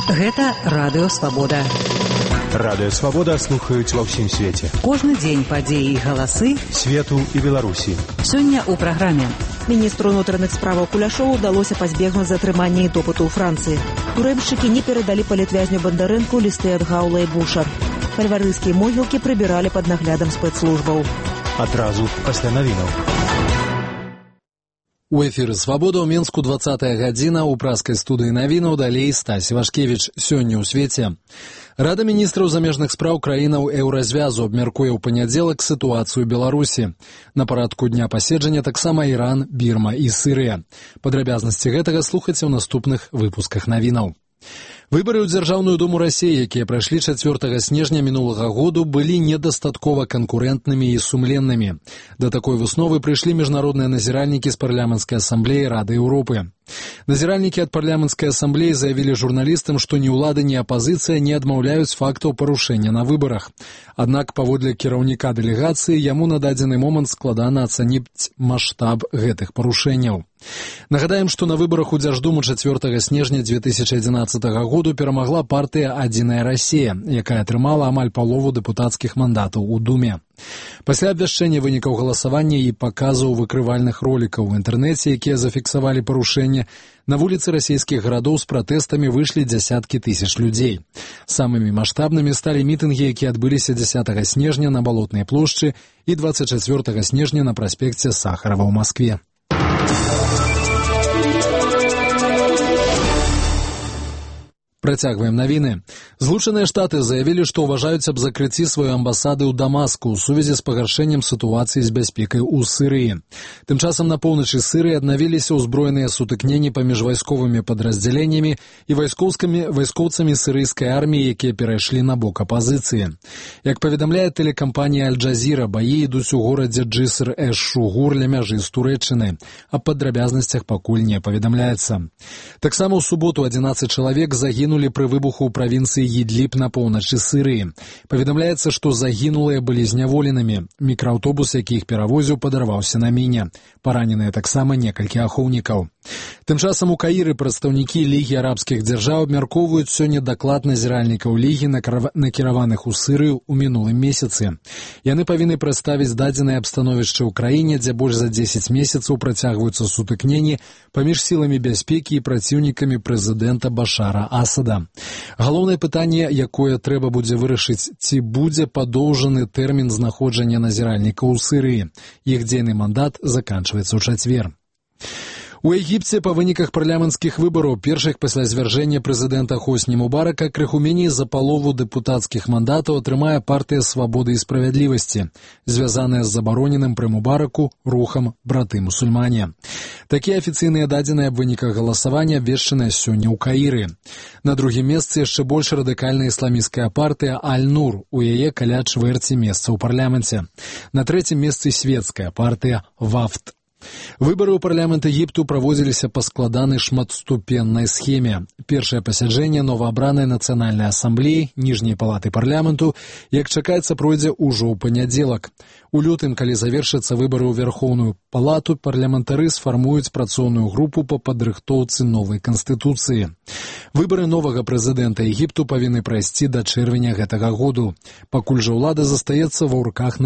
Гэта Радыё Свабода. Радыё Свабода слухаюць ва ўсім свеце. Кожны дзень падзеі і галасы свету і Беларусі. Сёння ў праграме. Міністру ўнутраных справаў Куляшову ўдалося пазбегнуць затрымання і допыту ў Францыі. Турэмшчыкі не перадалі палітвязню Бандарэнку лісты ад Гаула і Буша. Фальварыйскія могілкі прыбіралі пад наглядам спецслужбаў. Адразу пасля навінаў. У эфіры «Свабода» ў Менску 20-я гадзіна, у праскай студыі навінаў далей Стась Вашкевіч. Сёння ў свеце. Рада міністраў замежных спраў краінаў Еўразвязу абмяркуе ў панядзелак сітуацыю Беларусі. На парадку дня паседжання таксама Іран, Бірма і Сірыя. Падрабязнасці гэтага слухайце ў наступных выпусках навінаў. Выбары ў Дзяржаўную думу Расіі, якія прайшлі 4 снежня мінулага году, былі недастаткова канкурэнтнымі і сумленнымі. Да такой высновы прыйшлі міжнародныя назіральнікі з парламенцкай асамблеі Рады Еўропы. Назіральнікі ад парламенцкай асамблеі заявілі журналістам, што ні ўлада, ні апазіцыя не адмаўляюць фактаў парушэння на выбарах. Аднак, паводле кіраўніка дэлегацыі, яму на дадзены момант складана ацаніць маштаб гэтых парушэнняў. Нагадаем, што на выбарах у Дзярждуму 4 снежня 2011 году перамагла партыя «Адзіная Расія», якая атрымала амаль палову дэпутацкіх мандатаў у Думе. Пасля абвяшчэння вынікаў галасавання і паказаў выкрывальных ролікаў у інтэрнэце, якія зафіксавалі парушэнне, на вуліцы расійскіх гарадоў з пратэстамі выйшлі дзясяткі тысяч людзей. Самымі маштабнымі сталі мітынгі, якія адбыліся 10 снежня на Балотнай плошчы і 24 снежня на праспекце Сахарова ў Маскве. Працягваем навіны. Злучаныя Штаты заявілі, што ўважаюць аб закрыцці сваёй амбасады ў Дамаску ў сувязі з пагаршэннем сітуацыі з бяспекай у Сірыі. Тым часам на поўначы Сірыі аднавіліся ўзброеныя сутыкненні паміж вайсковымі падраздзяленнямі і вайскоўцамі сірыйскай арміі, якія перайшлі на бок апазіцыі. Як паведамляе тэлекампанія Аль-Джазіра, баі ідуць у горадзе Джыср-эш-Шугур ля мяжы з Турэччынай. Аб падрабязнасцях пакуль не паведамляецца. Таксама ў суботу 11 чалавек загінулі пры выбуху ў правінцыі Ідліб на поўначы Сірыі. Паведамляецца, што загінулыя былі зняволенымі. Мікрааўтобус, які іх перавозіў, падарваўся на міне. Параненыя таксама некалькі ахоўнікаў. Тым часам у Каіры прадстаўнікі Лігі арабскіх дзяржаў абмяркоўваюць сёння даклад назіральнікаў Лігі, накіраваных у Сірыю ў мінулым месяцы. Яны павінны прадставіць дадзенае аб становішчы ў краіне, дзе больш за 10 месяцаў працягваюцца сутыкненні паміж сіламі бяспекі і праціўнікамі прэзідэнта Башара Асада. Галоўнае пытанне, якое трэба будзе вырашыць, ці будзе падоўжаны тэрмін знаходжання назіральнікаў у Сірыі. Іх дзейны мандат заканчваецца ў чацвер. У Егіпце па выніках парламенцкіх выбараў, першых пасля звяржэння прэзідэнта Хосні Мубарака, крыху меней за палову дэпутацкіх мандатаў атрымае партыя «Свабоды і справядлівасці», звязаная з забароненым пры Мубараку рухам «Браты-мусульмане». Такія афіцыйныя дадзеныя аб выніках галасавання абвешчаныя сёння ў Каіры. На другім месцы яшчэ больш радыкальная ісламісцкая партыя «Аль-Нур», у яе каля чвэрці месца ў парламенце. На трэцім месцы светская партыя «Вафд». Выбары ў парламент Егіпту праводзіліся па складанай шматступеннай схеме. Першае пасяджэнне новаабранай нацыянальнай асамблеі, ніжняй палаты парламенту, як чакаецца, пройдзе ўжо ў панядзелак. У лютым, калі завершацца выбары ў Верхоўную палату, парламентары сфармуюць працоўную групу па падрыхтоўцы новай канстытуцыі. Выбары новага прэзідэнта Егіпту павінны прайсці да чэрвеня гэтага году. Пакуль жа ўлада застаецца ва руках